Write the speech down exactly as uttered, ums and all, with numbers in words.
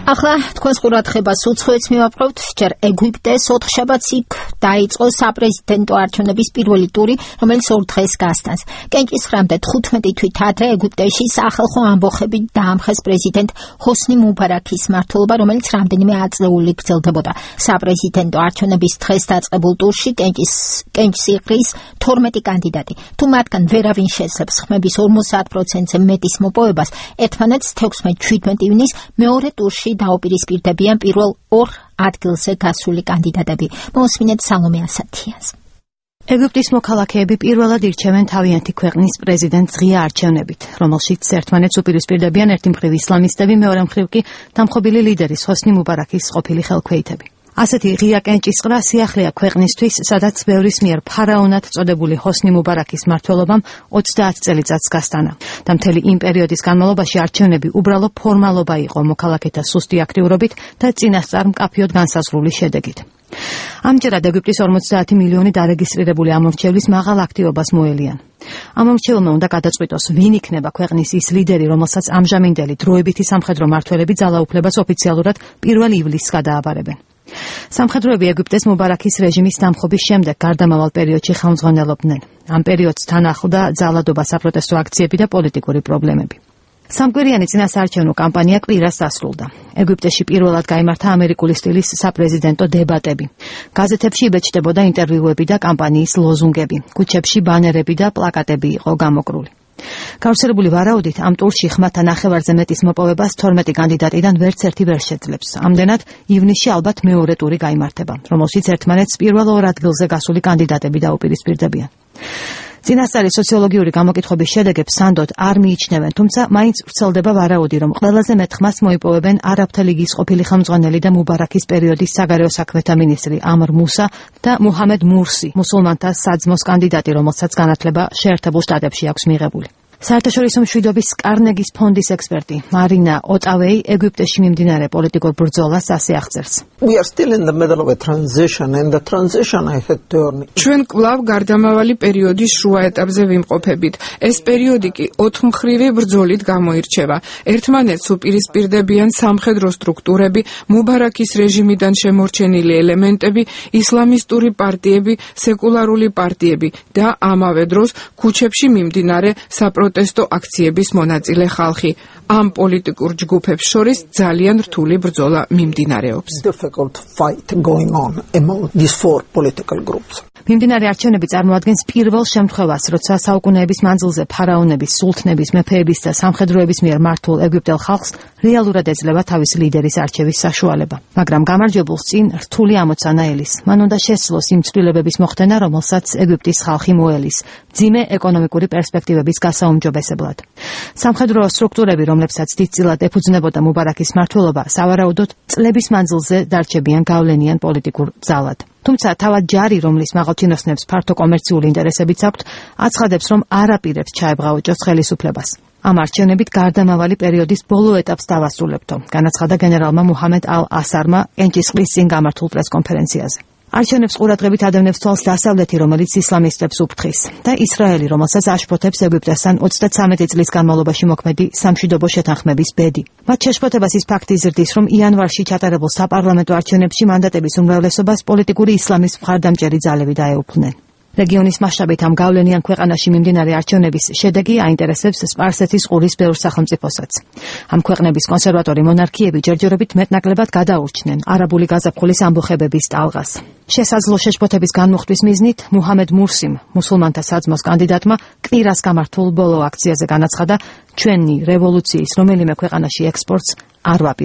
ახლა თქვენს ყურადღებას უცხოეთს მივაპყრობთ. ჯერ ეგვიპტეს ოთხშაბათს იქ დაიწყო საპრეზიდენტო არჩევნების პირველი ტური, რომელიც ორ დღეს გასტანს. კენჭისხრამდე თხუთმეტი თვით ადრე ეგვიპტეში სახალხო ამბოხებით დაამხეს პრეზიდენტ ჰოსნი მუბარაქის მმართველობა, რომელიც რამდენიმე ათწლეული გრძელდებოდა. საპრეზიდენტო არჩევნების დღეს დაწყებულ ტურში კენჭს იყრის თორმეტი კანდიდატი. თუ მათგან ვერავინ შეძლებს ხმების ორმოცდაათ პროცენტზე მეტის მოპოვებას, ერთმანეთს თექვსმეტ შვიდმეტ ივნის მეორე ტურში დაუპირისპირდებიან პირველ ორ ადგილზე გასული კანდიდატები. მოусმინეთ სალომე ასათიას. ეგვიპტის მოქალაქეები პირველად ირჩევენ თავიანთი ქვეყნის პრეზიდენტს ღია არჩევნებით, რომელშიც ერთმანეთს უპირისპირდებიან ერთი მხრივ ისლამისტები, მეორე მხრივ კი დამხობილი ლიდერის ჰოსნი მუბარაქის ყოფილი ხელქვეითები. ასეთი ღია კენჭისყრა სიახლეა ქვეყნისთვის, სადაც ბევრის მიერ ფარაონად წოდებული ჰოსნი მუბარაქის მმართველობამ ოცდაათ წელიწადს გასტანა და მთელი იმ პერიოდის განმავლობაში არჩევნები უბრალო ფორმალობა იყო მოქალაქეთა სუსტი აქტიურობით და წინასწარ მკაფიოდ განსაზღვრული შედეგით. ამჯერად ეგვიპტის ორმოცდაათი მილიონი დარეგისტრირებული ამორჩევლის მაღალ აქტივობას მოელიან. ამორჩეულმა უნდა გადაწყვიტოს, ვინ იქნება ქვეყნის ის ლიდერი, რომელსაც ამჟამინდელი დროებითი სამხედრო მმართველები ძალაუფლებას ოფიციალურად პირველ ივლისს გადააბარებენ. სამხედროები ეგვიპტეს მუბარაქის რეჟიმის დამხობის შემდეგ გარდამავალ პერიოდში ხელმძღვანელობდნენ. ამ პერიოდს თან ახლდა ძალადობა, საპროტესტო აქციები და პოლიტიკური პრობლემები. სამკვირიანი წინასაარჩევნო კამპანია კვირას დასრულდა. ეგვიპტეში პირველად გაიმართა ამერიკული სტილის საპრეზიდენტო დებატები. გაზეთებში იბეჭდებოდა ინტერვიუები და კამპანიის ლოზუნგები. ქუჩებში ბანერები და პლაკატები იყო გამოკრული. გავრცელებული ვარაუდით, ამ ტურში ხმათა ნახევარზე მეტის მოპოვებას თორმეტი კანდიდატიდან ვერც ერთი ვერ შეძლებს. ამდენად, ივნისში ალბათ მეორე ტური გაიმართება, რომელშიც ერთმანეთს პირველ ორ ადგილზე გასული კანდიდატები დაუპირისპირდებიან. წინასწარი სოციოლოგიური გამოკითხების შედეგებს სანდოდ არ მიიჩნევენ, თუმცა მაინც ვრცელდება ვარაუდი, რომ ყველაზე მეტ ხმას მოიპოვებენ არაბთა ლიგის ყოფილი ხელმძღვანელი და მუბარაქის პერიოდის საგარეო საქმეთა მინისტრი ამრ მუსა და მუჰამედ მურსი, მუსულმანთა საძმოს კანდიდატი, რომელსაც განათლება შეერთებულ შტატებში აქვს მიღებული. საერთაშორისო მშვიდობის კარნეგის ფონდის ექსპერტი მარინა ოტავეი ეგვიპტეში მიმდინარე პოლიტიკურ ბრძოლას ასე აღწერს. ჩვენ კვლავ გარდამავალი პერიოდის შუა ეტაპზე ვიმყოფებით. ეს პერიოდი კი ოთხმხრივი ბრძოლით გამოირჩევა. ერთმანეთს უპირისპირდებიან სამხედრო სტრუქტურები, მუბარაქის რეჟიმიდან შემორჩენილი ელემენტები, ისლამისტური პარტიები, სეკულარული პარტიები და ამავე დროს ქუჩებში მიმდინარე საპროტესტო პროტესტო აქციების მონაწილე ხალხი. ამ პოლიტიკურ ჯგუფებს შორის ძალიან რთული ბრძოლა მიმდინარეობს. მიმდინარე არჩევნები წარმოადგენს პირველ შემთხვევას, როცა საუკუნეების მანძილზე ფარაონების, სულთნების, მეფეების და სამხედროების მიერ მართულ ეგვიპტელ ხალხს რეალურად ეძლევა თავისი ლიდერის არჩევის საშუალება. მაგრამ გამარჯვებულს წინ რთული ამოცანა ელის. მან უნდა შესძლოს იმ ცვლილებების მოხდენა, რომელსაც ეგვიპტის ხალხი მოელის, მძიმე ეკონომიკური პერსპექტივების გასაუმჯობესებლად. სამხედრო სტრუქტურები, რომლებსაც დიდწილად ეფუძნებოდა მუბარაქის მმართველობა, სავარაუდოდ წლების მანძილზე დარჩებიან გავლენიან პოლიტიკურ ძალად. თუმცა თავად ჯარი, რომლის მაღალჩინოსნებს ფართო კომერციული ინტერესებიც აქვთ, აცხადებს, რომ არ აპირებს ჩაებღაოჭოს ხელისუფლებას. ამ არჩევნებით გარდამავალი პერიოდის ბოლო ეტაპს დავასრულებთო, განაცხადა გენერალმა მუჰამედ ალ-ასარმა კენჭისყრის წინ გამართულ პრესკონფერენციაზე. არჩევნებს ყურადღებით ადევნებს თვალს დასავლეთი, რომელიც ისლამისტებს უფრთხის, და ისრაელი, რომელსაც აშფოთებს ეგვიპტესთან ოცდათვრამეტი წლის განმავლობაში მოქმედი სამშვიდობო შეთანხმების ბედი. მათ შეშფოთებას ის ფაქტი იზრდის, რომ იანვარში ჩატარებულ საპარლამენტო არჩევნებში მანდატების უმრავლესობას პოლიტიკური ისლამის მხარდამჭერი ძალები დაეუფლნენ. რეგიონის მასშტაბით ამ გავლენიან ქვეყანაში მიმდინარე არჩევნების შედეგი აინტერესებს სპარსეთის ყურის ბევრ სახელმწიფოსაც. ამ ქვეყნების კონსერვატორი მონარქიები ჯერჯერობით მეტნაკლებად გადაურჩნენ არაბული გაზაფხულის ამბოხებების ტალღას. შესაძლო შეშფოთების განმუხტვის მიზნით მუჰამედ მურსიმ, მუსულმანთა საძმოს კანდიდატმა, კვირას გამართულ ბოლო აქციაზე განაცხადა, ჩვენი რევოლუციის რომელიმე ქვეყანაში ექსპორტს არ ვაპირებთ.